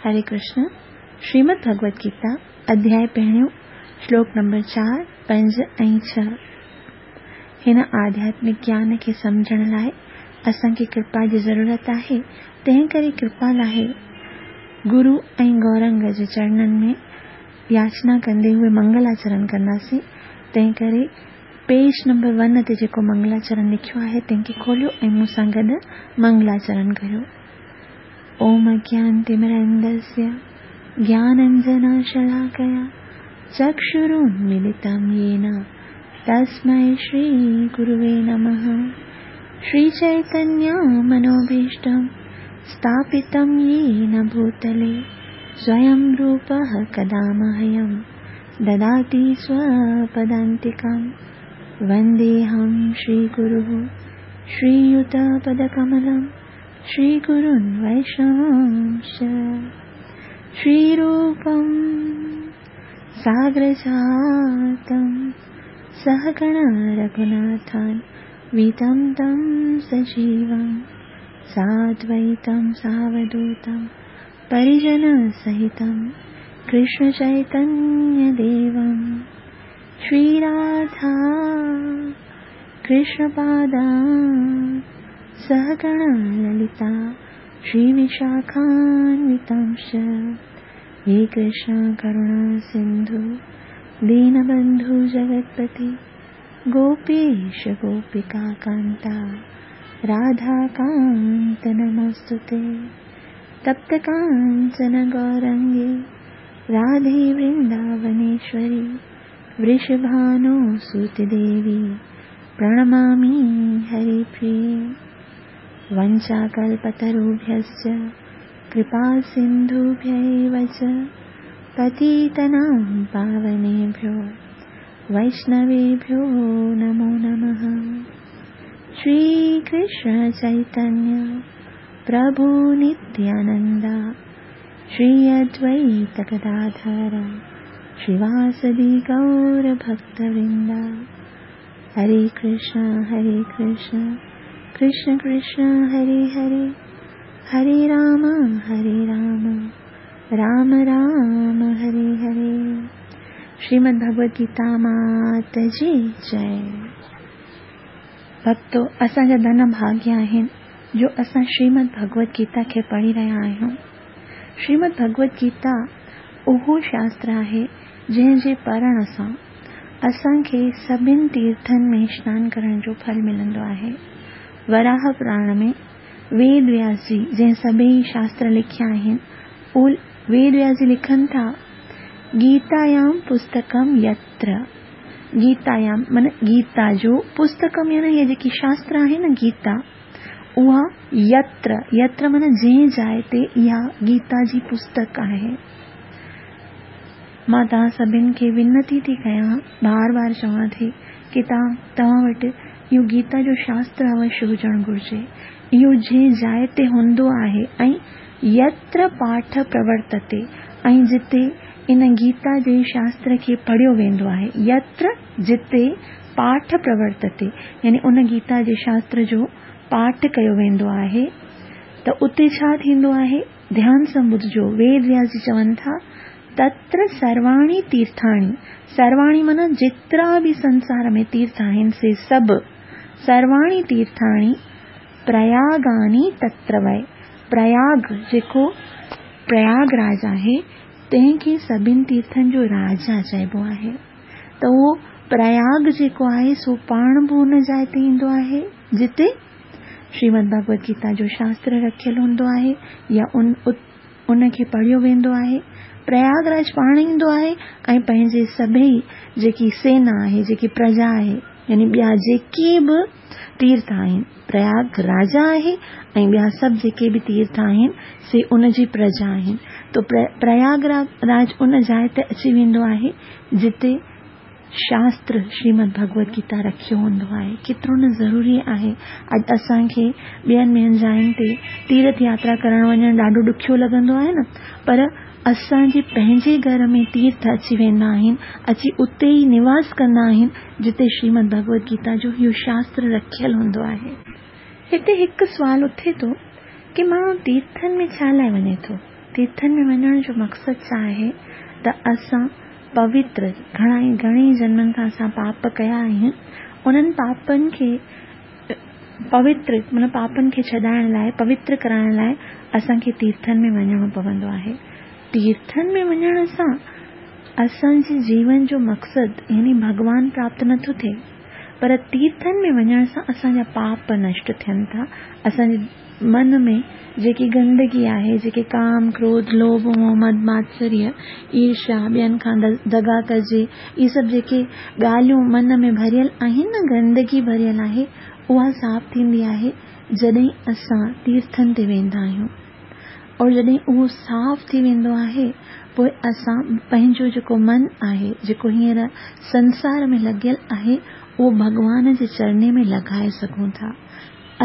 هري ڪرشن، شريمد ڀڳوت گيتا، اڌياء پهريون، شلوڪ نمبر 4، 5 ۽ 6. هن آڌياتمڪ گيان کي سمجهڻ لاء اسان کي ڪرپا جي ضرورت آهي، تنهن ڪري ڪرپا لاء گرو ۽ گورنگ جي چرنن ۾ ياچنا ڪندي هوئي منگلاچرن ڪنداسين، تنهن ڪري پيج نمبر ون تي جيڪو منگلاچرن لکيو آهي تنهن کي کوليو ۽ مون سان گڏ منگلاچرن ڪريو. ॐ अज्ञानतिमिरन्धस्य ज्ञानञ्जनशलाकया चक्षुरुन्मिलितं येन तस्मै श्रीगुरुवे नमः। श्रीचैतन्यमनोभीष्टं स्थापितं येन भूतले स्वयं रूपः कदा मह्यं ददाति स्वपदान्तिकं। वन्देऽहं श्रीगुरुः श्रीयुतपदकमलं श्रीगुरुन् वैष्णवांश्च। श्रीरूपं साग्रजातं सहगण रघुनाथान् वितं तं सजीवं साद्वैतं सावधूतं परिजनसहितं कृष्णचैतन्यदेवं। श्रीराधा कृष्णपादा सहगण ललिता श्रीविशाखान्वितांश्च। हे कृष्ण करुणा सिन्धु दीनबन्धु जगत्पति गोपीश गोपिका कान्ता राधाकान्त नमोऽस्तु ते। तप्त काञ्चन गौरङ्गे राधे वृन्दावनेश्वरि वृषभानुसुते देवी प्रणमामि हरिप्रिये। वञ्चाकल्पतरुभ्यश्च कृपासिन्धुभ्य एव च पतितानां पावनेभ्यो वैष्णवेभ्यो नमो नमः। श्रीकृष्ण चैतन्य प्रभु नित्यानन्द श्री अद्वैत गदाधर श्रीवासदि गौरभक्तवृन्द। हरे कृष्ण हरे कृष्ण कृष्ण कृष्ण हरे हरे, हरे राम हरे राम राम राम हरे हरे। श्रीमद् भगवद गीता मात जी जय। भक्तो, असांजा धन भाग्य आहिनि जो असां श्रीमद् भगवद गीता खे पढ़ी रहिया आहियूं। श्रीमद् भगवद गीता उहो शास्त्र आहे जंहिंजे पढ़ण सां असांखे सभिनि तीर्थनि में स्नान करण जो फल मिलंदो आहे। वराह पुराण में वेद व्यास जी जंहिं सभई शास्त्र लिखिया आहिनि, उहो वेद व्यास जी लिखनि था, गीतायाम पुस्तकम यत्र। गीतायाम माना गीता जो पुस्तकम यानी इहा जेकी शास्त्र आहे न गीता, उहा यत्र, यत्र माना जंहिं जाइ ते इहा गीता जी पुस्तक आहे। मां तव्हां सभिनि खे विनती थी कयां, बार बार चवां थी की तव्हां वटि इहो गीता जो शास्त्र अवश्य हुजणु घुरिजे। इहो जंहिं जाइ ते हूंदो आहे ऐं यत्र पाठ प्रवर्तते, ऐं जिते इन गीता जे शास्त्र खे पढ़ियो वेंदो आहे, यत्र जिते पाठ प्रवर्तते यानी उन गीता जे शास्त्र जो पाठ कयो वेंदो आहे त उते छा थींदो आहे? ध्यान सां ॿुधजो, वेद व्यास जी चवनि था तत्र सर्वाणि तीर्थाणि, सर्वाणि माना जेतिरा बि संसार में तीर्थ आहिनि से सभु, सर्वाणि तीर्थाणि प्रयागानि तत्र वै। प्रयाग जेको प्रयागराज आहे तंहिंखे सभिनि तीर्थनि जो राजा चइबो आहे। त उहो प्रयाग जेको आहे सो पाण बि उन जाइ ते ईंदो आहे जिते श्रीमद् भगवद गीता जो शास्त्र रखियल हूंदो आहे या उनखे पढ़ियो वेंदो आहे। प्रयागराज पाण ईंदो आहे ऐं पंहिंजे सभई जेकी सेना आहे, जेकी प्रजा आहे, यानी ॿिया जेके बि तीर्थ आहिनि, प्रयाग राजा आहे ऐं ॿिया सभु जेके बि तीर्थ आहिनि से उनजी प्रजा आहिनि। त प्रयागराज उन जाइ ते अची वेंदो आहे जिते शास्त्र श्रीमद् भगवद गीता रखियो हूंदो आहे। केतिरो न ज़रूरी आहे। अॼु असांखे ॿियनि ॿियनि जाइनि ते तीर्थ यात्रा करण वञणु ॾाढो ॾुखियो लॻंदो आहे न, पर असांजे पंहिंजे घर में तीर्थ अची वेंदा आहिनि, अची उते ई निवास कंदा आहिनि जिते श्रीमद् भगवद गीता जो इहो शास्त्र रखियल हूंदो आहे। हिते हिकु सुवाल उथे थो की माण्हू तीर्थनि में छा लाइ वञे थो? تيرٿن ۾ وڃڻ جو مقصد ڇا آهي ته اسان پوتر، گهڻا ئي گهڻي ئي جنمن کان اسان پاپ ڪيا آهن، انهن پاپن کي پوتر معنيٰ پاپن کي ڇڏائڻ لاء، پوتر ڪرائڻ لاء اسان کي تيرٿن ۾ وڃڻو پوندو آهي. تيرٿن ۾ وڃڻ سان اسان جي جيون جو مقصد يعني ڀڳوان پراپت نٿو ٿئي، پر تيرٿن ۾ وڃڻ سان اسان جا پاپ نشٽ ٿين ٿا، اسان جي من ۾ جيڪي گندگي آهي، جيڪي ڪام، ڪروڌ، لوڀ، موهه، مد، ماتسريه، ايرشا، ٻين کان دغا ڪجي، اهي سڀ جيڪي ڳالهيون من ۾ ڀريل آهن نه، گندگي ڀريل آهي، اها صاف ٿيندي آهي جڏهن اسان تيرٿن تي ويندا آهيون. اور جڏهن اهو صاف ٿي ويندو آهي، پوء اسان پنهنجو جيڪو من آهي، جيڪو هينئر سنسار ۾ لڳيل آهي، اهو ڀڳوان جي چرني ۾ لڳائي سگهون ٿا.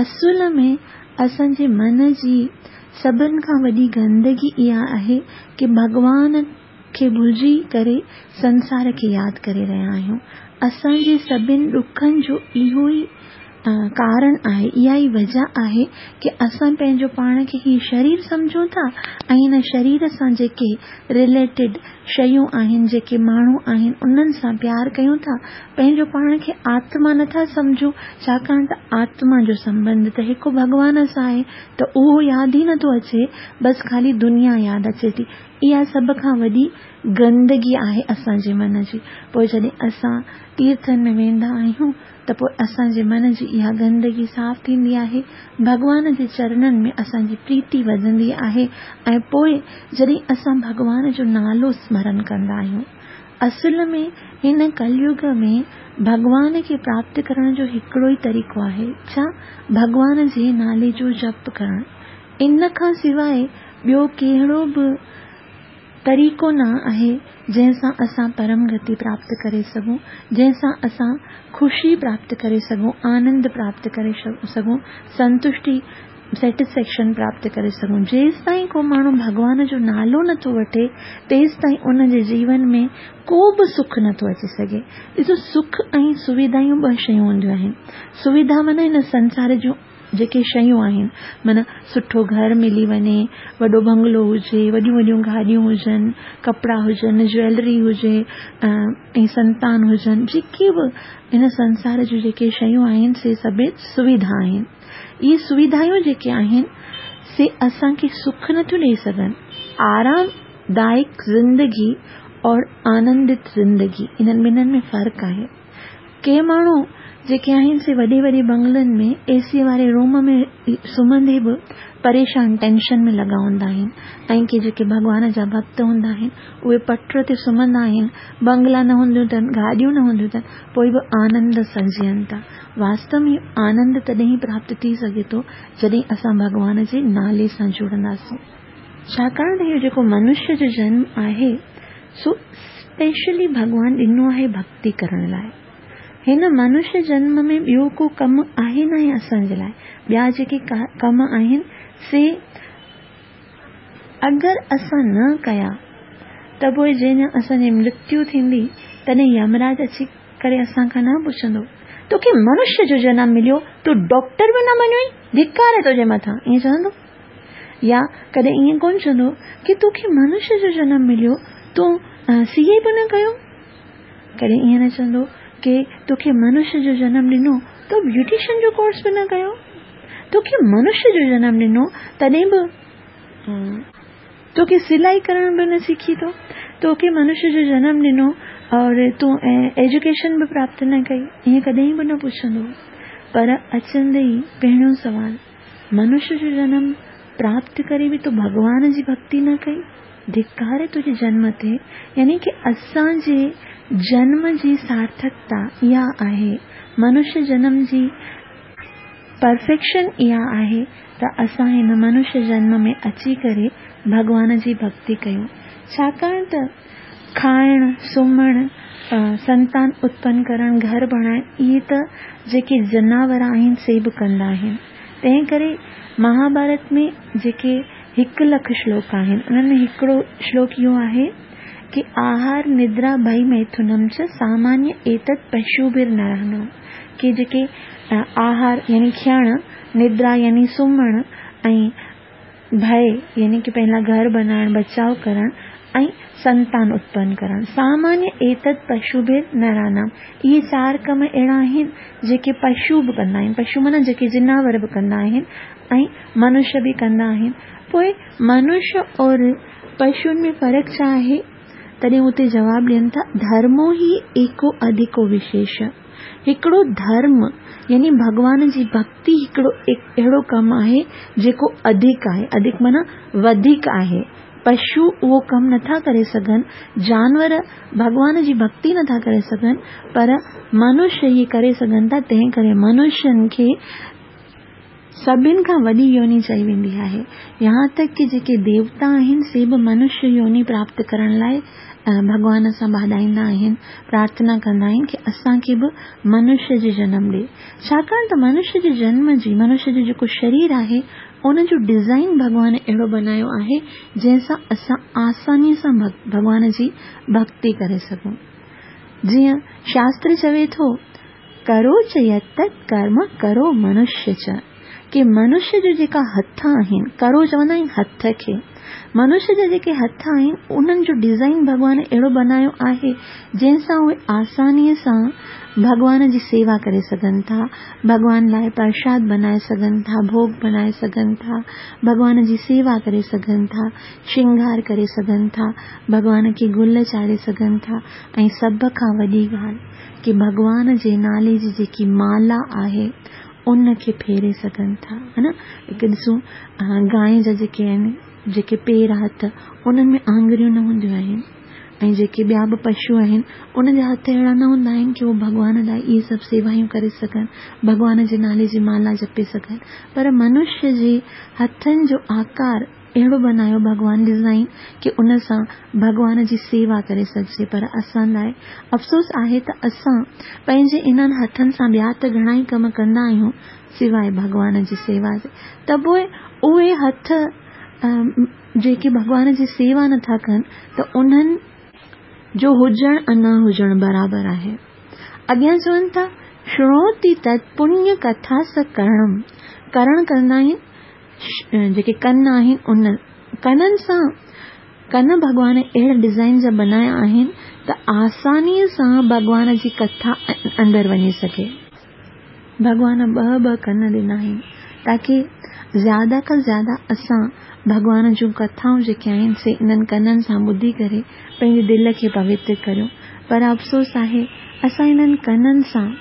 اصل ۾ اسان جي من جي سڀن کان وڏي گندگي اها آهي ڪي ڀڳوان کي ڀلجي ڪري سنسار کي ياد ڪري رهيا آهيون. اسان جي سڀن ڏکن جو اهو ئي ڪارڻ آهي، اها ئي وجه آهي ڪي اسان پنهنجو پاڻ کي هي شرير سمجهون ٿا ۽ هن شرير سان جيڪي رليٽيڊ شيون آهن، جيڪي ماڻهو آهن انهن سان پيار ڪيون ٿا، پنهنجو پاڻ کي آتما نه ٿا سمجهون، ڇاڪاڻ ته آتما جو سنٻنڌ ته هڪ ڀڳوان سان آهي ته اهو ياد ئي نه ٿو اچي، بس خالي دنيا ياد اچي ٿي. اها سڀ کان وڏي گندگي آهي اسان جي من جي. پوء جڏهن اسان تيرٿن ۾ ويندا آهيون ته پوء اسان جي من جي اها گندگي صاف ٿيندي آهي، ڀڳوان جي چرنن ۾ اسان جي پريتي وڌندي آهي ۽ پوء جڏهن اسان ڀڳوان جو نالو سمرن ڪندا آهيون. اصل ۾ هن ڪليگ ۾ ڀڳوان کي پراپت ڪرڻ جو هڪڙو ئي طريقو آهي، ڇا؟ ڀڳوان جي نالي جو جپ ڪرڻ. ان کان سواء ٻيو ڪهڙو به طريقو نه آهي جنهن سان اسان پرم گتي پراپت ڪري سگهون، جنهن سان اسان خوشي پراپت ڪري سگهون، آنند پراپت ڪري سگهون، سنتشٽي، Satisfaction، پراپت ڪري سگهون. جيستائين ڪو ماڻهو ڀڳوان جو نالو نه ٿو وٺي، تيستائين ان جي جيون ۾ ڪو به سک نه ٿو اچي سگهي. ڏسو سک ۽ سويڌايون ٻه شيون هونديون آهن. سويڌا معنيٰ هن سنسار جون جيڪي شيون آهن، معنيٰ سٺو گهر ملي وڃي، وڏو بنگلو هجي، وڏيون وڏيون گاڏيون هجن، ڪپڙا هجن، جويلري هجي ۽ سنتان هجن، جيڪي به هن سنسار جون جيڪي شيون آهن سي سڀ سويڌا آهن. اهي سويڌايون جيڪي آهن سي اسان کي سک نٿيون ڏئي سگهن. آرام دائڪ زندگي اور آنندت زندگي انهن ٻنهن ۾ فرق آهي. ڪي ماڻهو جيڪي آهن سي وڏي وڏي بنگلن ۾ اي سي واري روم ۾ سمهندي به پريشان ٽينشن ۾ لڳا هوندا آهن ۽ ڪي جيڪي ڀڳوان جا ڀڳت هوندا آهن اهي پٽ تي سمهندا آهن بنگلا نه هونديون اٿن گاڏيون نه هونديون اٿن پوء به آنند سان جيئن ٿا واستو ۾ آنند تڏهن ئي پراپت ٿي سگهي ٿو جڏهن اسان ڀڳوان جي نالي سان جڙنداسون. ڇاڪاڻ ته اهو جيڪو منشيه جو جنم آهي سو اسپيشلي ڀڳوان ڏنو آهي ڀڳتي ڪرڻ لاء. هن منشيه جنم ۾ ٻيو ڪو ڪم آهي ناهي اسان جي لاء. ٻيا جيڪي ڪم آهن سي اگر اسان نه ڪيا ته پوء جنهن ڏينهن اسان جي مرتيو ٿيندي تڏهن يمراج اچي ڪري اسان کان نه پڇندو توکي منشيه جو جنم مليو تون ڊاڪٽر به نه بنيو آهين ڌڪار آهي تنهنجي مٿان ائين چوندو؟ يا ڪڏهن ائين ڪونه چوندو ڪي توکي منشيه جو جنم مليو تون سي اي به نه ڪيو؟ ڪڏهن ائين نه چوندو ڪي توکي منشيه جو جنم ڏنو تو بيوٽيشن جو ڪورس به نه ڪيو؟ توکي منشيه جو جنم ڏنو تڏهن به توکي سلائي ڪرڻ به نه سکي تو توکي منشيه جو جنم ڏنو اور تون ايجوڪيشن به پراپت نه ڪئي ائين ڪڏهن به نه پڇندو پر اچندي ئي پهريون سوال منشيه جو جنم پراپت ڪري به تو ڀڳوان جي ڀڳتي نه ڪئي؟ ڌڪار تنهنجي جنم تي يعني ڪي اسان جي جنم جي سارٿڪتا اها آهي، منشيه جنم جي پرفيڪشن اها آهي ته اسان هن منشيه جنم ۾ اچي ڪري ڀڳوان جي ڀڳتي ڪيون، ڇاڪاڻ ته کائڻ، سمهڻ، سنتان اتپن ڪرڻ، گهر بڻائڻ اهي ته جيڪي جناور آهن سي به ڪندا آهن. تنهن ڪري مهاڀارت ۾ جيڪي هڪ لک شلوڪ آهن انهن ۾ هڪڙو شلوڪ اهو آهي ڪي آهار ندرا ڀئي ميٿنم چ سامانيه ايتت پشوڀر نرانام ڪي جيڪي آهار يعني کيڻ، ندرا يعني سمهڻ ۽. ڀئي يعني ڪه پنهنجي لاء گهر بنائڻ، بچاء ڪرڻ ۽ سنتان اتپن ڪرڻ. سامانيه ايتت پشوڀر نرانام اهي چار ڪم اهڙا آهن جيڪي پشو به ڪندا آهن، پشو معنيٰ جيڪي جناور به ڪندا آهن ۽ منش به ڪندا آهن. پوء منش اور پشن ۾ فرق ڇا آهي؟ تڏهن اتي جواب ڏين ٿا، ڌرمو هي ايڪو اڌيڪو وشيش. هڪڙو ڌرم يعني ڀڳوان جي ڀڳتي هڪڙو اهڙو ڪم آهي جيڪو اڌيڪ آهي، اڌيڪ معنيٰ وڌيڪ آهي. پشو اهو ڪم نٿا ڪري سگهن، جانور ڀڳوان جي ڀڳتي نٿا ڪري سگهن، پر منش اهي ڪري سگهن ٿا، تنهن ڪري منشن کي سڀن کان وڏي يوني چئي ويندي آهي. يهان تڪ ڪي جيڪي ديوتا آهن سي به منش يوني پراپت ڪرڻ لاء ڀڳوان سان ٻاڏائيندا آهن، پرارٿنا ڪندا آهن ڪي اسان کي به منش جي جنم ڏي. ڇاڪاڻ ته منش جي جنم جي، منش جو جيڪو شرير آهي ان جو ڊزائين ڀڳوان اهڙو بنايو آهي جنهن سان اسان آساني سان ڀڳوان جي ڀڳتي ڪري سگهون. جيئن شاستر چوي ٿو ڪرو چ يتت ڪرم ڪرو منشي چ، ڪي منش جو جيڪا هٿ آهن، ڪرو چوندا آهن هٿ کي، منش جا جيڪي هٿ آهن انهن جو ڊزائين ڀڳوان اهڙو بنايو آهي جنهن سان اهي آساني سان ڀڳوان جي سيوا ڪري سگهن ٿا، ڀڳوان لاء پرشاد بنائي سگهن ٿا، ڀوڳ بنائي سگهن ٿا، ڀڳوان جي سيوا ڪري سگهن ٿا، شنگار ڪري سگهن ٿا، ڀڳوان کي گل چاڙهي سگهن ٿا ۽ سڀ کان وڏي ڳالهه ڪي ڀڳوان جي نالي جي جيڪي مالا آهي ان کي ڦيري سگهن ٿا ها نه هڪ ڏسون گانء جا جيڪي آهن جيڪي پير هٿ انهن ۾ آڱريون نه هونديون آهن ۽ جيڪي ٻيا به پشو آهن انهن جا هٿ اهڙا نه هوندا آهن ڪي هو ڀڳوان لاء اهي سڀ سيوايون ڪري سگهن ڀڳوان جي نالي جي مالا جپي سگهن پر منشي جي هٿن جو آڪار اهڙو بنايو ڀڳوان ڊزائين ڪي ان سان ڀڳوان جي سيوا ڪري سگهجي پر اسان لاء افسوس آهي ته اسان پنهنجي انهن هٿن سان ٻيا ته گهڻا ئي ڪم ڪندا آهيون سواء ڀڳوان جي سيوا جي ته پوء اهي هٿ جيڪي ڀڳوان جي سيوا نٿا ڪن ته انهن جو هجڻ ۽ نه هجڻ برابر آهي. اڳيان چون ٿا شرڻوتي تت پڃ ڪٿا س ڪرڻم ڪرڻ ڪندا آهن جيڪي ڪن آهن ان ڪنن سان ڪن ڀڳوان اهڙا ڊزائين جا بنايا آهن ته آساني سان ڀڳوان جي ڪٿا اندر وڃي سگهي. ڀڳوان ٻه ٻه ڪن ڏنا آهن تاڪي زياده کان زياده اسان ڀڳوان جون ڪٿائون جيڪي آهن سي انهن ڪنن سان ٻڌي ڪري پنهنجي دل کي پوتر ڪريون پر افسوس آهي اسان انهن ڪنن سان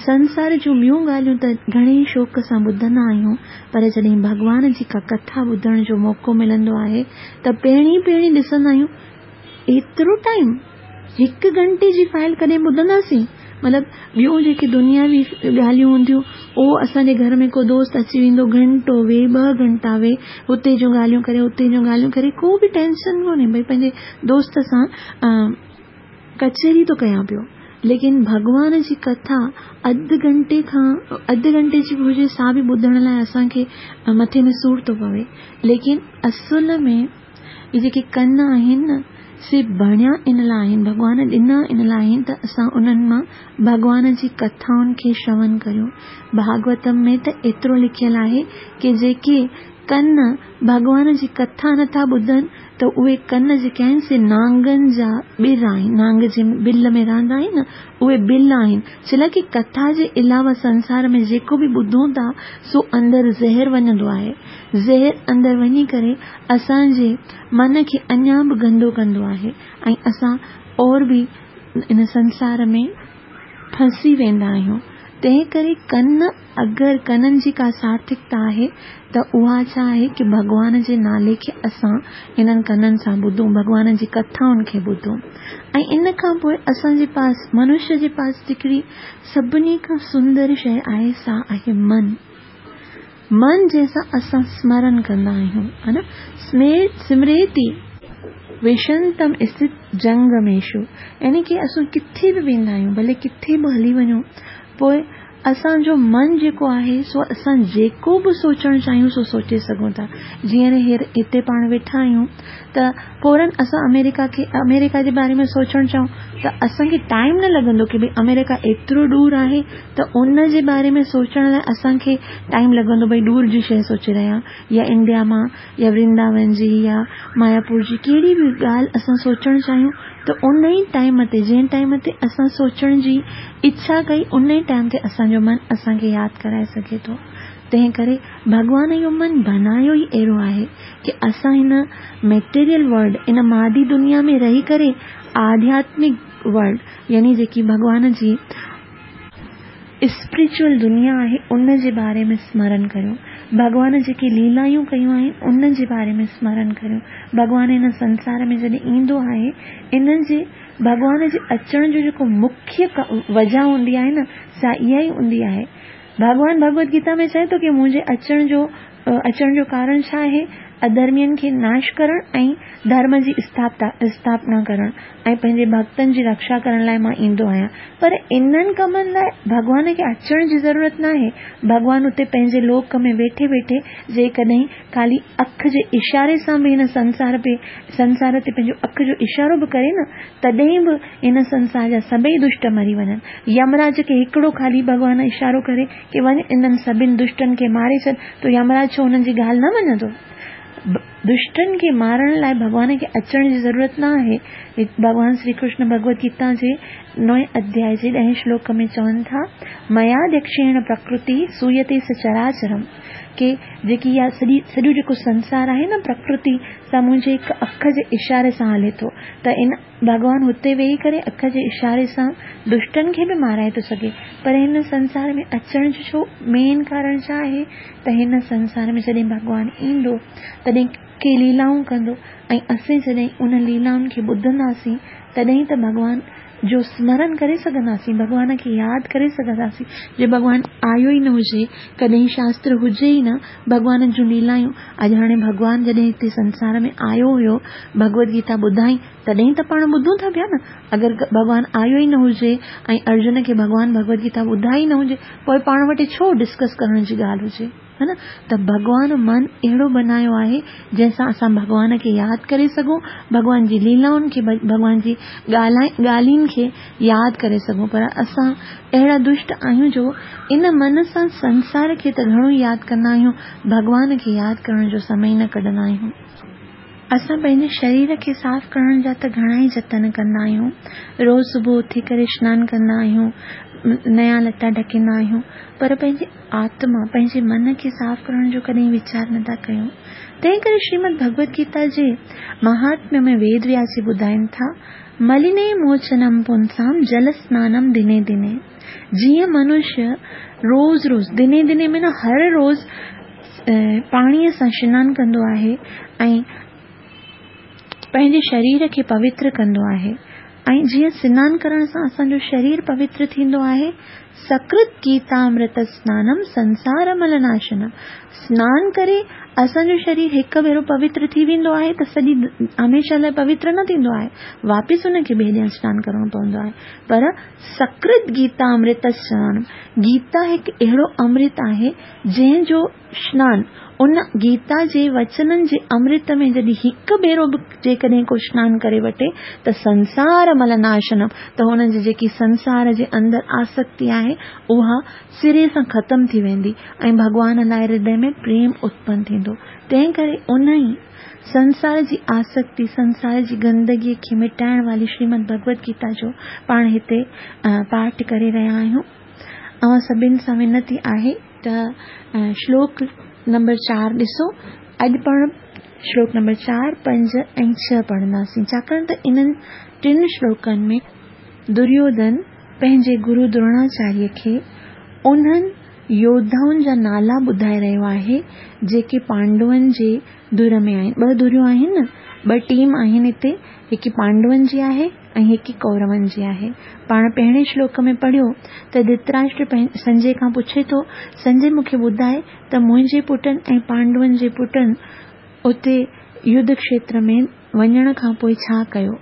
سنسار جون ٻيون ڳالهيون ته گهڻي ئي شوق سان ٻڌندا آهيون پر جڏهن ڀڳوان جي ڪا ڪٿا ٻڌڻ جو موقعو ملندو آهي ته پهرين پهرين ڏسندا آهيون ايترو ٽائيم هڪ گهنٽي جي فائل ڪڏهن ٻڌنداسين مطلب ٻيون جيڪي دنياوي ڳالهيون هونديون اهو اسان جي گهر ۾ ڪو دوست اچي ويندو گهنٽو ويهي ٻه گهنٽا ويهي هتي جون ڳالهيون ڪري هتي جون ڳالهيون ڪري ڪو به ٽينشن ڪونهي ڀئي پنهنجي دوست سان ڪچهري ٿو ڪيان پيو ليڪن ڀڳوان جي ڪٿا اڌ گهنٽي کان اڌ گهنٽي جي به هجي سا به ٻڌڻ لاء اسان کي مٿي ۾ سور ٿو پوي ليڪن اصل ۾ اهي جيڪي ڪن آهن نه سي بڻيا ان لاء آهن ڀڳوان ڏنا ان لاء آهن ته اسان انهن مان ڀڳوان جي ڪٿائن کي شرون ڪريون ڀاڳوتم ۾ ته ايترو لکيل آهي ڪي جيڪي ڪن ڀڳوان جي ڪٿا نٿا ٻڌن ته اهي ڪن جيڪي آهن سي نانگن جا ٻر آهن، نانگ جنهن بل ۾ رهندا آهن نه اهي بل آهن، ڇلاء ڪي ڪٿا جي علاوه سنسار ۾ جيڪو به ٻڌون ٿا سو اندر زهر وڃندو آهي، زهر اندر وڃي ڪري اسان جي من کي اڃا به گندو ڪندو آهي ۽ اسان اور به ان سنسار ۾ ڦاسي ويندا آهيون، تنهن ڪري ڪن اگر ڪنن جي ڪا سارٿڪتا آهي ته اها ڇا آهي ڪي ڀڳوان جي نالي کي اسان انهن ڪنن سان ٻڌون، ڀڳوان جي ڪٿائن کي ٻڌون ۽ ان کان پوء اسان جي پاس منشي جي پاس جيڪڙي سڀني کان سندر شيء آهي سا آهي من. من جنهن سان اسان سمرن ڪندا آهيون ها نه سمريتي وشنتم استت جنگميشو يعني ڪي اسان ڪٿي به ويندا آهيون ڀلي ڪٿي به هلي وڃون پوء اسان جو من جيڪو آهي سو اسان جيڪو به سوچڻ چاهيون سو سوچي سگهون ٿا. جيئن هينئر هتي پاڻ ويٺا آهيون ته فورن اسان آمريڪا کي آمريڪا جي باري ۾ سوچڻ چاهيون ته اسان کي ٽائيم نه لڳندو ڪي ڀئي آمريڪا ايترو ڏور آهي ته ان جي باري ۾ سوچڻ لاء اسان کي ٽائيم لڳندو ڀئي ڏور جي شيء سوچي رهيا يا انڊيا مان يا ورنداون جي يا ماياپور جي ڪهڙي به ڳالهه اسان سوچڻ چاهيون ته ان ئي ٽائيم تي جنهن ٽائيم تي اسان سوچڻ جي اڇا ڪئي ان ئي ٽائيم تي اسان جو من اسان کي ياد ڪرائي سگهي ٿو. تنهن ڪري ڀڳوان اهو من بنايو ئي اهڙو آهي ڪي اسان هن ميٽيريل ورلڊ ان مادي دنيا ۾ رهي ڪري آڌياتمڪ ورلڊ يعني جيڪي ڀڳوان جي اسپرچوئل دنيا آهي ان جي باري ۾ سمرن ڪريون. ڀڳوان جيڪي ليلايون ڪيون آهن ان جي باري ۾ سمرن ڪريون. ڀڳوان هن سنسار ۾ جڏهن ايندو آهي ان جي ڀڳوان جي اچڻ جو جيڪو مکيه وجهه هوندي آهي نه سا اها ئي هوندي آهي. ڀڳوان ڀڳوت گيتا ۾ چئي ٿو ڪي منهنجي اچڻ جو اچڻ جو ڪارڻ ڇا آهي؟ اڌرمين کي ناش ڪرڻ ۽ ڌرم جي اسٿاپنا ڪرڻ ۽ پنهنجي ڀڳتن جي رڪشا ڪرڻ لاء مان ايندو آهيان. پر انهن ڪمن لاء ڀڳوان کي اچڻ جي ضرورت ناهي. ڀڳوان اتي پنهنجي لوڪ ۾ ويٺي ويٺي جيڪڏهن خالي اک جي اشاري سان به هن سنسار پي سنسار تي پنهنجو اک جو اشارو به ڪري نه تڏهن به هن سنسار جا سڀئي دشٽ مري وڃن. يمراج کي هڪڙو خالي ڀڳوان اشارو ڪري ڪي وڃ انهن سڀن دشٽن کي ماري ڇڏ ته يمراج ڇو انهن جي ڳالهه نه مڃندو؟ دشٽن کي مارڻ لاء ڀڳوان کي اچڻ جي ضرورت نه آهي. ڀڳوان شري ڪرشن ڀڳوت گيتا جي نوئين اڌيائي جي ڏهين شلوڪ ۾ چون ٿا، مياديڪشيڻ پرڪرتي سويتي سچراچرم ڪي جيڪي اها سڄي سڄو جيڪو سنسار آهي نه پرڪرتي سا منهنجي هڪ اک جي اشاري سان هلي ٿو ته ان ڀڳوان هتي ويهي ڪري اک جي اشاري سان دشٽن کي به مارائي ٿو سگهي پر هن سنسار ۾ اچڻ جو ڇو مين ڪارڻ ڇا آهي ته هن سنسار ۾ جڏهن ڀڳوان ايندو تڏهن ڪي ليلائون ڪندو ۽ اسين جڏهن ان ليلائن کي ٻڌنداسين تڏهن ته ڀڳوان جو سمرن ڪري سگهنداسين ڀڳوان کي ياد ڪري سگهنداسين جي ڀڳوان آيو ئي نه هجي ڪڏهن شاستر هجي ئي نه ڀڳوان جون ليلايون اڄ هاڻي ڀڳوان جڏهن هتي سنسار ۾ آيو هيو ڀڳوت گيتا ٻڌائين تڏهن ته پاڻ ٻڌون ٿا پيا نه اگر ڀڳوان آيو ئي نه هجي ۽ ارجن کي ڀڳوان ڀڳوت گيتا ٻڌائي نه هجي پوء پاڻ وٽ ڇو ڊسڪس ڪرڻ جي ڳالهه هجي ها نه ته ڀڳوان من اهڙو بنايو آهي جنهن سان اسان ڀڳوان کي ياد ڪري سگهون ڀڳوان جي ليلائن کي ڀڳوان جي ڳالهين کي ياد ڪري سگهون پر اسان اهڙا دشٽ آهيون جو ان من سان سنسار کي ته گهڻو ئي ياد ڪندا آهيون ڀڳوان کي ياد ڪرڻ جو سمي نه ڪڍندا آهيون. اسان پنهنجي شرير کي صاف ڪرڻ جا ته گهڻا ئي جتن ڪندا آهيون. روز صبح اٿي ڪري سنان ڪندا آهيون، نيا لٽا ڍڪيندا آهيون، پر پنهنجي آتما، پنهنجي من کي صاف ڪرڻ جو ڪڏهن ويچار نه ٿا ڪيون. تنهن ڪري شريمد ڀڳوت گيتا جي مهاتميه ۾ ويد وياس جي ٻڌائين ٿا، مليني موچنم پونسام جل سنانم دني دني. جيئن منشيه روز روز، دني دني معنيٰ هر روز، پاڻيء سان سنان ڪندو آهي ۽ پنهنجي شرير کي پوتر ڪندو آهي ۽ جيئن سنان ڪرڻ سان اسان جو شرير پوتر ٿيندو آهي، سڪرت گيتامرت سنانم سنسار مل ناشنم سنان ڪري اسان جو شرير هڪ ڀيرو پوتر ٿي ويندو آهي ته سڄي هميشه لاء پوتر نه ٿيندو آهي واپس ان کي ٻئي ڏينهن سنان ڪرڻو پوندو آهي پر سڪرت گيتامرت سنانم گيتا هڪ اهڙو امرت آهي جنهن جو سنان ان گيتا جي وچنن جي امرت ۾ جڏهن هڪ ڀيرو به جيڪڏهن ڪو سنان ڪري وٺي ته سنسار مل ناشنم ته هن جي جيڪي سنسار جي اندر آسڪتي آهي اها سري سان ختم ٿي ويندي ۽ ڀڳوان لاء هردي ۾ پريم اتپن ٿيندو تنهن ڪري انهي سنسار جي آسڪتي سنسار جي گندگي کي مٽائڻ واري شريمد ڀڳوت گيتا جو پاڻ هتي پاٺ ڪري رهيا آهيون. اوهان سڀن سان وينتي آهي ته شلوڪ نمبر چار ڏسو. اڄ پاڻ شلوڪ نمبر چار، پنج ۽ ڇهه پڙهنداسين، ڇاڪاڻ ته انهن ٽن شلوڪن ۾ دريوڌن پنهنجي گرو دروناچاريه کي انهن يوڌائن جا نالا ٻڌائي رهيو آهي، جيڪي پانڊون جي ڌر ۾ آهن. ٻه ڌريون آهن نه، ٻه ٽيم آهن هتي، هڪ پانڊون جي آهي ۽ هڪ ڪورون جي آهي. پاڻ پهرين شلوڪ ۾ پڙهيو ته ڌرتراشٽر سنجي کان پڇي ٿو، سنجي مون کي ٻڌاء ته منهنجي پٽن ۽ پانڊون جي پٽن اتي يڌ کشيتر ۾ وڃڻ کان پوء ڇا ڪيو؟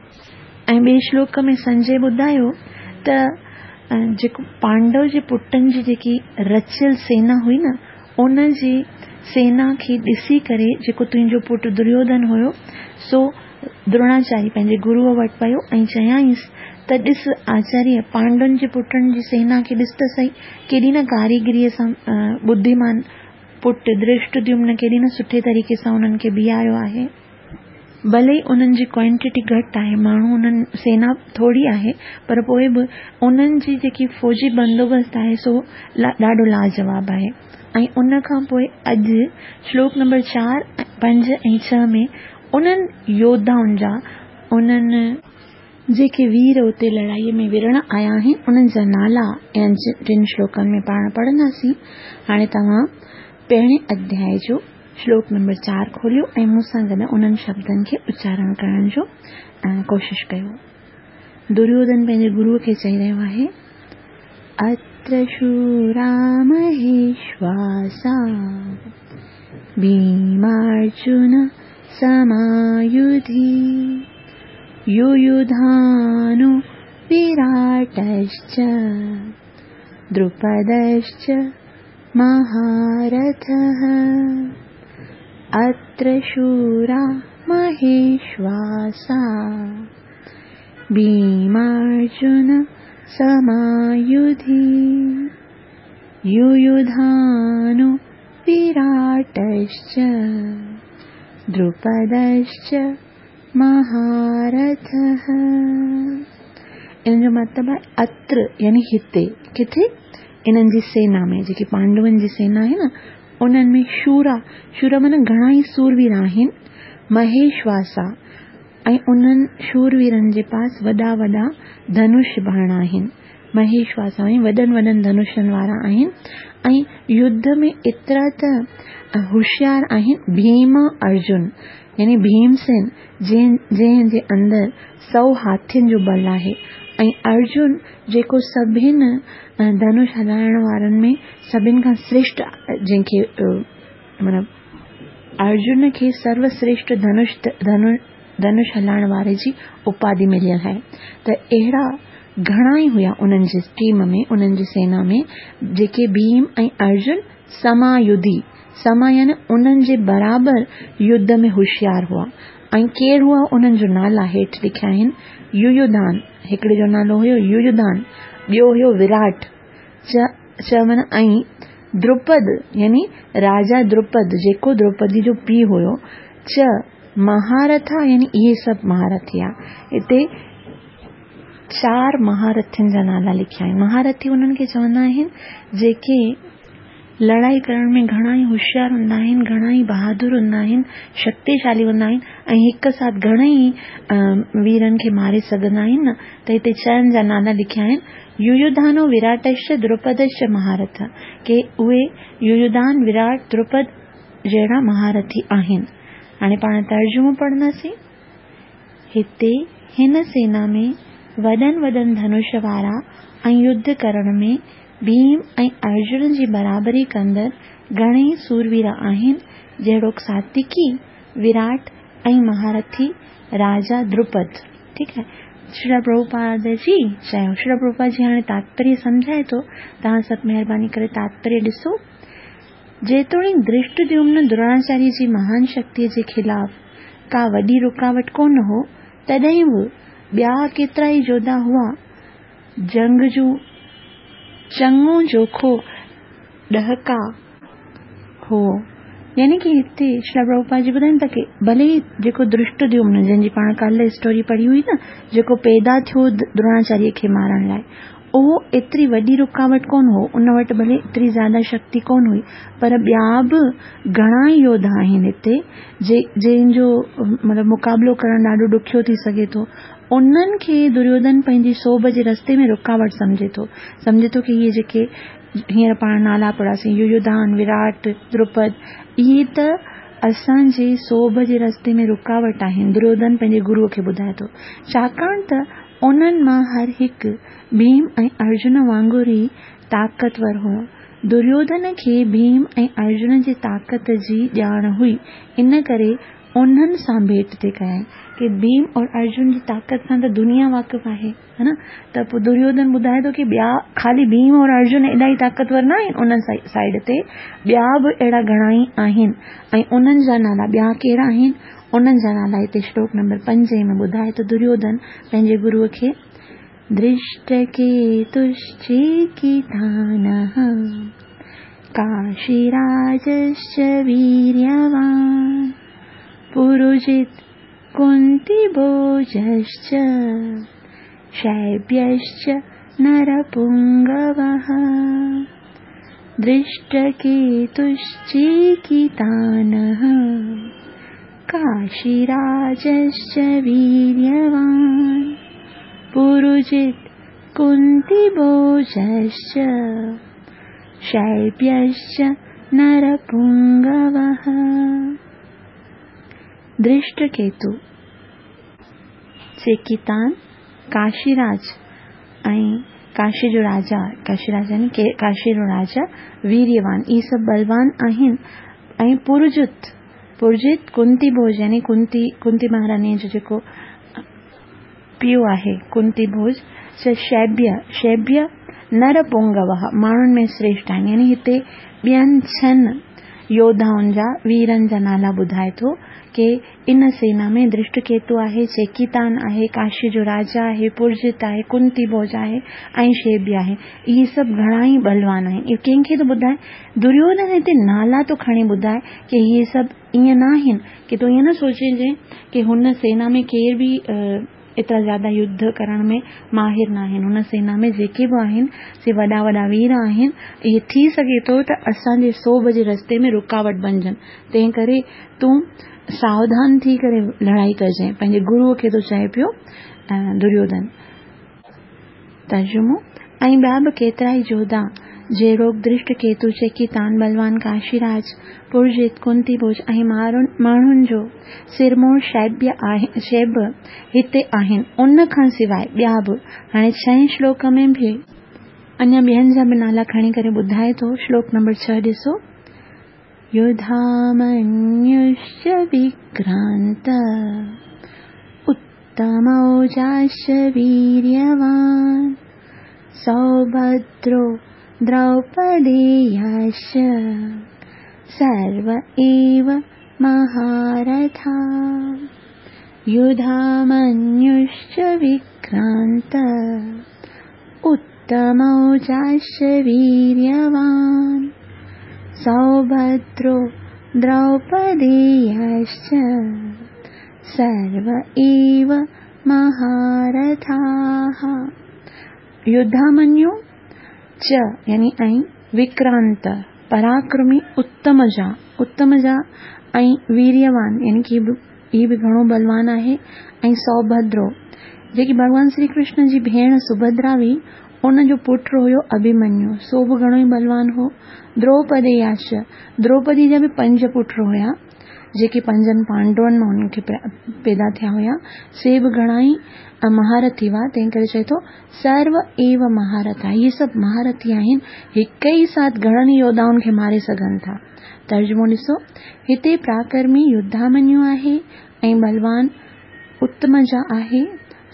۽ ٻئي شلوڪ ۾ سنجي ٻڌايو ته. جيڪو پانڊو جي پٽن جي جيڪي رچيل سينا هئي نه ان جي سينا کي ڏسي ڪري جيڪو تنهنجو پٽ دريوڌن هيو سو دروناچاريه پنهنجي گروء وٽ ويو ۽ چيائينس ته ڏس آچاريه پانڊون جي پٽن جي سينا کي ڏس ته سهي ڪيڏي نه ڪاريگريء سان ٻڌيمان پٽ ڌرشٽديمن ڪيڏي نه سٺي طريقي سان انهن کي بيهاريو آهي. ڀلي ئي انهن جي ڪوانٽيٽي گهٽ آهي، ماڻهو انهن سينا ٿوري آهي پر پوء به انهن جي جيڪي فوجي بندوبست آهي سو ڏاڍو لاجواب آهي ۽ ان کان پوء اڄ شلوڪ نمبر 4، 5 ۽ 6 ۾ انهن يوڌائن جا انهن جيڪي وير اتي لڙائيء ۾ وڙهڻ آيا آهن انهن جا نالا انهن ٽن شلوڪن ۾ پاڻ پڙهنداسين. هاڻي توهان پهرين اڌيائي جو شلوڪ نمبر 4 کوليو ۽ مون سان گڏ انهن شبدن کي اچارڻ ڪرڻ جو ڪوشش ڪيو. دريوڌن پنهنجي گروء کي چئي رهيو آهي، اتر شورا مهيشواسا ڀيمارجن سمايوڌي يويوڌانو وراٽشچ دروپدشچ مهارٿः اتر شورا مهيشواسا ڀيمارجن سمايوڌي يويوڌانو وراٽشچ دروپدشچ مهارٿه. ان جو مطلب آهي اتر يعني هتي، ڪٿي؟ انهن جي سينا ۾ جيڪي پانڊون جي سينا آهي نه انهن ۾ شورا، شورا معنيٰ گهڻا ئي سوروير آهن، مهيشواسا ۽ انهن شورويرن جي پاس وڏا وڏا ڌنش باڻ آهن. مهيشواسا ۽ وڏن وڏن ڌنشن وارا آهن ۽ يڌ ۾ ايترا ته هوشيار آهن، ڀيم ارجن يعني ڀيمسين جنهن جي اندر سئو هاٿين جو ٻل آهي ۽ ارجن جيڪو سڀن ڌنش هلائڻ وارن ۾ سڀن کان سريشٽ جنهن کي معنيٰ ارجن کي سرو سريشٽ ڌنش ڌنش هلائڻ واري جي اپاڌي مليل آهي ته اهڙا گهڻا ئي هيا انهن جي ٽيم ۾ انهن جي سينا ۾ جيڪي ڀيم ۽ ارجن سما يڌي سما يعني انهن جي برابر يڌ ۾ هوشيار هئا ۽ ڪير هئا انهن جو نالا هيٺ لکيا آهن يويوڌان هڪڙي جو نالو هيو يويوڌان ٻيو هيو وراٽ چ چ معنيٰ ۽ دروپد يعني راجا دروپد جيڪو دروپدي جو پيء هيو چ مهارٿا يعني اهي سڀ مهارٿي ها هتي چار مهارٿين جا نالا لکيا آهن. مهارٿي انهن کي چوندا آهن جيڪي لڙائي ڪرڻ ۾ گهڻا ئي هوشيار هوندا آهن، گهڻا ئي بهادر هوندا آهن، شڪتيشالي هوندا آهن ۽ هڪ ساٿ گهڻي ئي ويرن کي ماري سگهندا آهن نه ته هتي چئن جا نالا لکيا آهن، يويوڌانو وراٽشچ دروپدشچ مهارٿ ڪي اهي يويوڌان، وراٽ، دروپد جهڙا مهارٿي آهن. هاڻي پاڻ ترجمو پڙهنداسين. هتي هن سينا ۾ وڏن وڏن ڌنش وارا ۽ يڌ ڪرڻ ۾ ڀيم ۽ ارجن جي برابري ڪندڙ گهڻيئي سوروير آهن، جهڙوڪ ساتيڪي، وراٽ ۽ مهارٿي راجا دروپد. ٺيڪ آهي. شريلا پرڀوپاد جي چيو. شريلا پرڀوپاد جي هاڻي تاتپريه سمجهائي ٿو. توهان سڀ مهرباني ڪري تاتپريه ڏسو. جيتوڻيڪ ڌرشٽديومن دروناچاريه جي مهان شڪتيء جي خلاف ڪا وڏي رڪاوٽ ڪونه هو، تڏهن به ٻيا ڪيترائي جوڌا هئا. جنگ جو چڱو جوکو ڏهڪاء هو. يعني ڪي هتي شريلا پرڀوپاد جي ٻڌائين ٿا ڪي ڀلي ئي جيڪو ڌرشٽديومن جنهن جي پاڻ ڪالهه اسٽوري پڙهي هئي نه، جيڪو پيدا ٿيو دروناچاريه کي مارڻ لاء، اهو ايتري وڏي رڪاوٽ ڪونه هو، ان وٽ ڀلي ايتري زياده شڪتي ڪونه هئي، پر ٻيا به گهڻا ئي يوڌا آهن هتي، جي جن جو مطلب مقابلو ڪرڻ ڏاڍو ڏکيو ٿي سگهي ٿو. انهن کي دريوڌن پنهنجي سوڀ جي رستي ۾ رڪاوٽ سمجهي ٿو. سمجهي ٿو ڪي اهي جيڪي هينئر پاڻ نالا پڙهياسين، يويوڌان، وراٽ، دروپد، اهي ته اسان جي سوڀ جي رستي ۾ رڪاوٽ آهن، دريوڌن پنهنجي گروء کي ٻڌائي ٿو. ڇاڪاڻ ته انهن مان هر هڪ ڀيم ۽ ارجن وانگر ئي طاقتور هو. دريوڌن کي ڀيم ۽ ارجن جي طاقت جي ڄاڻ هئي، ان ڪري انهن سان ڀيٽ ٿي ڪيائين ڪي ڀيم اور ارجن جي طاقت کان ته دنيا واقف آهي ها نه ته پوء دريوڌن ٻڌائي ٿو ڪي ٻيا خالي ڀيم اور ارجن ايڏا ئي طاقتور نه آهن ان سائيڊ تي ٻيا به اهڙا گهڻا ئي آهن ۽ انهن جا نالا ٻيا ڪهڙا آهن انهن جا نالا هتي شلوڪ نمبر پنجين ۾ ٻڌائي ٿو دريوڌن پنهنجي گروء کي ڌرشٽڪيتشچيڪيتانه ڪاشيراجश्च ويريوان پروجت ڪنتيڀوجश्च شيبيشچ نرپنگوه ڌرشٽڪيتشچيڪيتانه ڪاشيراجश्چ ويريوان پروجت ڪنتيڀوجश्چ شيبيشچ نرپنگوه ڌرشٽڪيتو، چيڪيتان، ڪاشيراج ۽ ڪاشي جو راجا، ڪاشيراج يعني ڪاشي جو راجا ويريوان، اهي سڀ ٻلوان آهن ۽ پرجت، پرجت ڪنتي ڀوج يعني ڪنتي، ڪنتي مهاراڻيء جو جيڪو پيء آهي، ڪنتي ڀوج، چ شيبيه، شيبيه نر پونگوه، ماڻهن ۾ شريشٺ آهن، يعني هتي ٻين ڇهن يوڌائن جا، ويرن جا نالا ٻڌائي ٿو ڪي ان سينا ۾ ڌرشٽڪيتو آهي، چيڪيتان آهي، ڪاشي جو راجا آهي، پرجت آهي، ڪنتي ڀوج آهي ۽ شيبيه آهي. اهي سڀ گهڻا ئي ٻلوان آهن. اهو ڪنهن کي ٿو ٻڌائي؟ دريوڌن هتي نالا ٿو کڻي ٻڌائي ڪي اهي سڀ ائين نه آهن ڪي تون ائين نه سوچجين ڪي هن سينا ۾ ڪير به ايترا زياده يڌ ڪرڻ ۾ ماهر ناهن. هن سينا ۾ جيڪي به آهن سي وڏا وڏا وير آهن. اهي ٿي سگهي ٿو ته اسان جي سوڀ جي رستي ۾ رڪاوٽ بنجن. تنهن ڪري تون ساوڌان ٿي ڪري لڙائي ڪجانء. پنهنجي گروء کي ٿو چئي پيو دريوڌن. ترجمو، ۽ ٻيا به ڪيترائي جوڌا، جهڙوڪ ڌرشٽڪيتو، چيڪيتان، ٻلوان ڪاشيراج، پرجيت، ڪنتي ڀوج ۽ ماڻهن جو سرموڙ شيب هتي آهن. ان کان سواء ٻيا به. هاڻي ڇهين شلوڪ ۾ به اڃا ٻين جا به نالا کڻي ڪري ٻڌائي ٿو. شلوڪ نمبر ڇهه ڏسو. يڌامنيوشچ وڪرانت اتموجاش ويريوان سوڀدرو دروپدياش سرو ايو مهارٿا يڌامنيوشچ وڪرانت اتموجاش ويريوان سوڀدرو دروپدياش سرو ايو مهارٿاः يڌامنيو چ يعني ۽ وڪرانت پراڪرمي اتمجا اتمجا ۽ ويريوان يعني ڪي هي به گهڻو ٻلوان آهي ۽ سوڀدرو جيڪي ڀڳوان شري ڪرشن جي ڀيڻ سڀدرا هئي ان جو پٽ هيو اڀيمنيو سو به گهڻو ئي ٻلوان هو دروپدياش دروپدي جا به پنج پٽ هيا جيڪي پنجن پانڊون مان انهن کي پيدا ٿيا هيا، سي به گهڻا ئي مهارٿي هئا، تنهن ڪري چئي ٿو، سرو ايو مهارٿا، اهي سڀ مهارٿي آهن، هڪ ئي ساٿ گهڻن ئي يوڌائن کي ماري سگهن ٿا. ترجمو ڏسو، هتي پراڪرمي يڌامنيو آهي ۽ ٻلوان اتمجا آهي،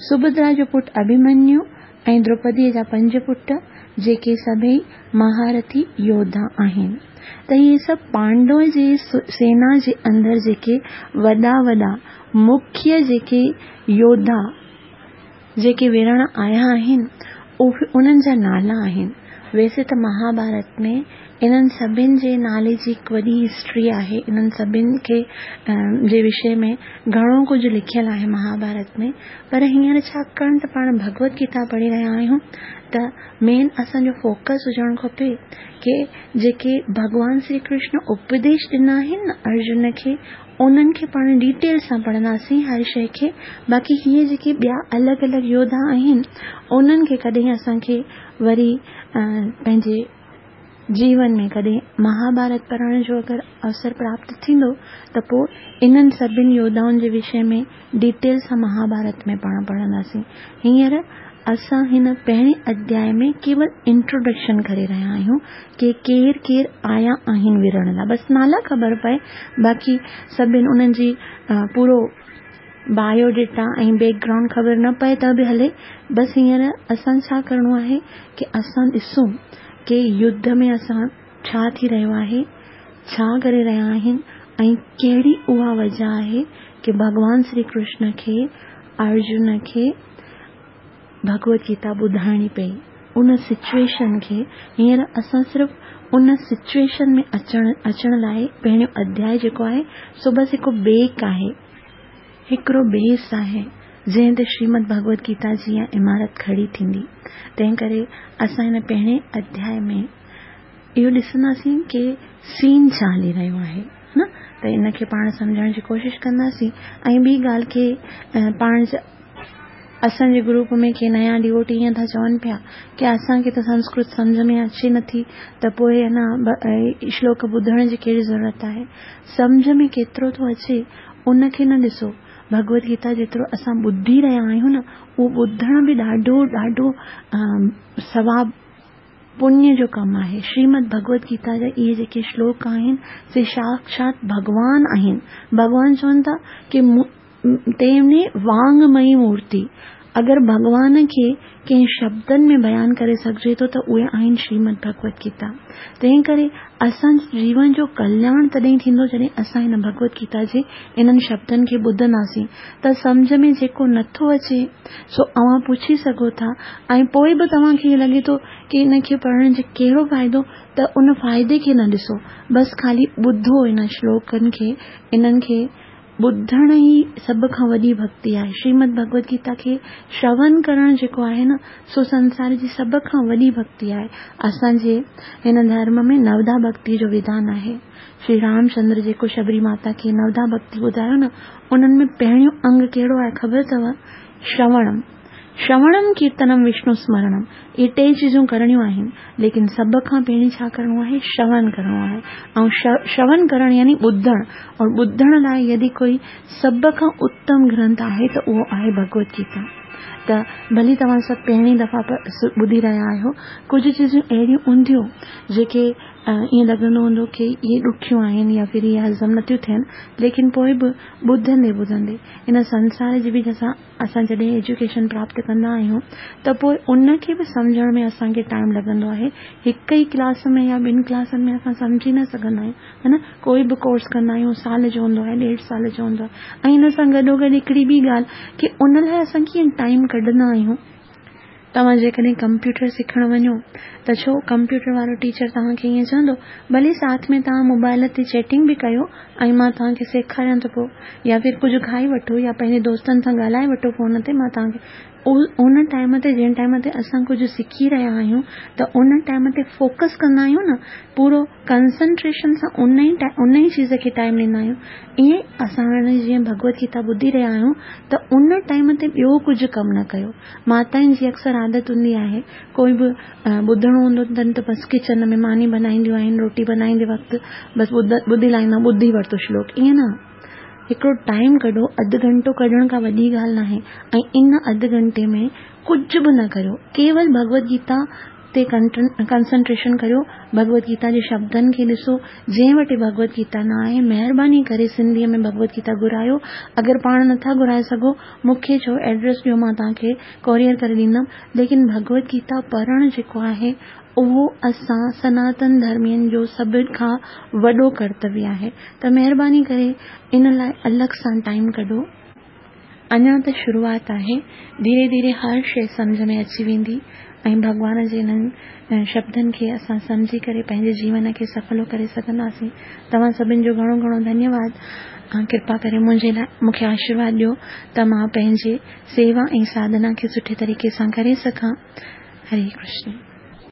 سڀدرا جو پٽ اڀيمنيو ۽ دروپديء جا پنج پٽ، جيڪي سڀيئي مهارٿي يوڌا آهن. ته اهي سڀ پانڊو جي سينا جي اندر جيڪي وڏا وڏا مکيه جيڪي يوڌا جيڪي وڙهڻ آيا آهن، اهي انهن جا نالا آهن. ويسي ته مهاڀارت ۾ انهن سڀن جي نالي جي هڪ وڏي هسٽري آهي، انهن سڀن کي جي وشي ۾ گهڻو ڪجهه لکيل آهي مهاڀارت ۾، پر هينئر ڇاڪاڻ ته پاڻ ڀڳوت گيتا پڙهي رهيا آهيون ته مين اسان جو فوڪس هجڻ کپي ڪي جيڪي ڀڳوان شري ڪرشن اپديش ڏنا آهن نه ارجن کي انهن کي پاڻ ڊيٽيل سان پڙهنداسين هر شيء کي باقي هيء جيڪي ٻيا الڳ الڳ يوڌا آهن انهن کي ڪڏهن اسان کي وري پنهنجي جيون ۾ ڪڏهن مهاڀارت پڙهڻ جو اگر اوسر پراپت ٿيندو ته پوء انهن سڀن يوڌائن جي وشي ۾ ڊيٽيل سان مهاڀارت ۾ پاڻ پڙهنداسين. هينئر اسان هن پهرين اڌياء ۾ ڪيول انٽروڊڪشن ڪري رهيا آهيون ڪي ڪير ڪير آيا آهن وڙهڻ لاء بس نالا خبر پئي باقي سڀن انهن جي پورو بايو ڊيٽا ۽ بيڪ گرائونڊ خبر نه پئي ته به هلي بس هينئر اسان ڇا ڪرڻو آهي ڪي اسان ڏسون ڪي يڌ ۾ اسان ڇا ٿي رهيو آهي ڇا ڪري رهيا آهن ۽ ڪهڙي اها وجه آهي ڪي ڀڳوان شري ڪرشن کي ارجن کي ڀڳوت گيتا ٻڌائڻي پئي ان سچوئيشن کي هينئر اسان صرف ان سچوئيشن ۾ اچڻ اچڻ لاء پهريون اڌياء جيڪو آهي سو بس هڪ بيڪ آهي هڪڙو بيس آهي جنهن تي شريمد ڀڳوت گيتا جي اها عمارت کڙي ٿيندي تنهن ڪري اسان هن پهرين اڌياء ۾ اهو ڏسنداسين ڪي سين ڇا هلي رهيو آهي نه ته ان کي پاڻ سمجهڻ جي ڪوشش ڪنداسين ۽ ٻي ڳالهه کي پاڻ اسان جي گروپ ۾ ڪي نيا ڊيوٽي ائين ٿا چون پيا ڪي اسان کي ته سنسڪرت سمجهه ۾ اچي نٿي ته پوء انا شلوڪ ٻڌڻ جي ڪهڙي ضرورت آهي سمجهه ۾ ڪيترو ٿو اچي ان کي نه ڏسو ڀڳوت گيتا جيترو اسان ٻڌي رهيا آهيون نه اهو ٻڌڻ به ڏاڍو ڏاڍو ثواب پڃ جو ڪم آهي. شريمد ڀڳوت گيتا جا اهي جيڪي شلوڪ آهن سي ساڪشات ڀڳوان آهن. ڀڳوان چون ٿا ڪي تيني وانگمئي مورتي. اگر ڀڳوان کي ڪنهن شبدن ۾ بيان ڪري سگهجي ٿو ته اهي آهن شريمد ڀڳوت گيتا. تنهن ڪري اسان جي جيون جو ڪلياڻ تڏهن ٿيندو جڏهن اسان هن ڀڳوت گيتا جي انهن شبدن کي ٻڌنداسين ته سمجهه ۾ جيڪو نٿو اچي سو اوهان پڇي سگهو ٿا ۽ پوء به توهان کي ائين لڳي ٿو ڪي ان کي پڙهڻ جو ڪهڙو فائدو ته ان فائدي کي نه ڏسو بس خالي ٻڌو انهن شلوڪن کي انهن کي ٻڌڻ ئي سڀ کان وڏي ڀڳتي آهي شريمد ڀڳوت گيتا کي شرون ڪرڻ جيڪو آهي نه سو سنسار جي سڀ کان وڏي ڀڳتي آهي اسان جي هن ڌرم ۾ نوڌا ڀڳتي جو وڌان آهي شري رامچندر جيڪو شبري ماتا کي نوڌا ڀڳتي ٻڌايو نه انهن ۾ پهريون انگ ڪهڙو آهي خبر اٿو؟ شروڻم. شروڻم ڪيرتنم وشنو سمرڻم اهي ٽي چيزون ڪرڻيون آهن ليڪن سڀ کان پهرين ڇا ڪرڻو آهي شروڻ ڪرڻو آهي ۽ شروڻ ڪرڻ يعني ٻڌڻ اور ٻڌڻ لاء يدي ڪوئي سڀ کان اتم گرنٿ آهي ته اهو آهي ڀڳوت گيتا ته ڀلي توهان سڀ پهرين دفعا ٻڌي رهيا آهيو ڪجهه چيزون اهڙيون هونديون جيڪي ائين لڳندو هوندو ڪي اهي ڏکيون آهن يا ڦر اهي هضم نٿيون ٿين ليڪن پوء به ٻڌندي ٻڌندي ان سنسار جي به اسان اسان جڏهن ايجوڪيشن پراپت ڪندا آهيون ته پوء ان کي به سمجهڻ ۾ اسان کي ٽائيم لڳندو آهي هڪ ئي ڪلاس ۾ يا ٻن ڪلاسن ۾ اسان سمجهي نه سگهندا آهيون ها نه ڪوئي به ڪورس ڪندا آهيون سال جو هوندو آهي ڏيڍ سال جو هوندو آهي ۽ ان سان گڏو گڏ هڪڙي ٻي ڳالهه ڪي ان لاء اسان ڪيئن ٽائيم ڪڍندا آهيون توهان جيڪڏهن ڪمپيوٽر سکڻ وڃو ته ڇو ڪمپيوٽر وارو ٽيچر توهان کي ائين چوندو ڀلي ساٿ ۾ توهان موبائل تي چيٽنگ به ڪيو ۽ مان توهان کي سيکاريان ٿو پيو يا ڦر ڪجهه کائي وٺو يا پنهنجي دوستن سان ڳالهائي وٺو فون تي مان توهان کي ان ٽائيم تي جنهن ٽائيم تي اسان ڪجهه سکي رهيا آهيون ته ان ٽائيم تي فوڪس ڪندا آهيون نه پورو ڪنسنٽريشن سان ان ئي ان ئي چيز کي ٽائيم ڏيندا آهيون ائين ئي اسان هاڻي جيئن ڀڳوت گيتا ٻڌي رهيا آهيون ته ان ٽائيم تي ٻيو ڪجهه ڪم نه ڪيو ماتائن جي اڪثر عادت هوندي آهي ڪوئي به ٻڌڻو هوندو اٿن ته بس ڪچن ۾ ماني بنائينديون آهن روٽي بنائيندي وقت بس ٻڌي لاهيندا ٻڌي ورتو شلوڪ ائين نه هڪڙو ٽائيم ڪڍو اڌ گهنٽو ڪڍڻ ڪا وڏي ڳالهه ناهي ۽ ان اڌ گهنٽي ۾ ڪجهه به نه ڪريو ڪيول ڀڳوت گيتا تي ڪنسنٽريشن ڪريو، ڀڳوت گيتا جي شبدن کي ڏسو، جنهن وٽ ڀڳوت گيتا نه آهي مهرباني ڪري سنڌيء ۾ ڀڳوت گيتا گهرايو، اگر پاڻ نٿا گهرائي سگهو مون کي چئو ايڊريس ڏيو مان توهان کي ڪوريئر ڪري ڏيندم، ليڪن ڀڳوت گيتا پڙهڻ جيڪو آهي اهو اسان سناتن ڌرمين جو سڀ کان وڏو ڪرتويه آهي ته مهرباني ڪري ان لاء الڳ سان ٽائيم ڪڍو. اڃا ته شروعات آهي، ڌيري ڌيري هر شيء سمجهه ۾ اچي ويندي ۽ ڀڳوان جي انهن شبدن کي اسان سمجهي ڪري پنهنجي جيون کي سڦلو ڪري سگهنداسين. توهان سڀن جو گهڻو گهڻو ڌنيواد. ڪرپا ڪري منهنجي لاء مون کي آشيرواد ڏيو ته مان پنهنجي سيوا ۽ ساڌنا کي سٺي طريقي سان ڪري سگهان. هري ڪرشن.